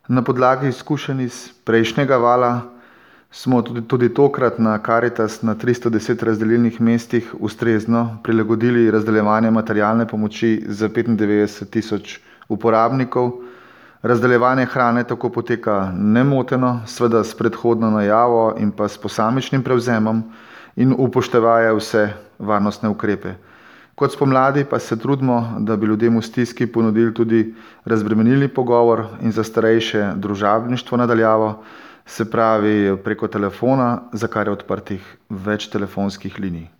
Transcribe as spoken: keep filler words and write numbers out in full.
Na podlagi izkušenj iz prejšnjega vala smo tudi, tudi tokrat na Karitas na tristo deset razdelilnih mestih ustrezno prilagodili razdeljevanje materialne pomoči za petindevetdeset tisoč uporabnikov. Razdeljevanje hrane tako poteka nemoteno, seveda s predhodno najavo in pa s posamičnim prevzemom in upoštevaje vse varnostne ukrepe. Kot spomladi pa se trudimo, da bi ljudem v stiski ponudili tudi razbremenilni pogovor in za starejše družabništvo na daljavo, se pravi preko telefona, za kar je odprtih več telefonskih linij.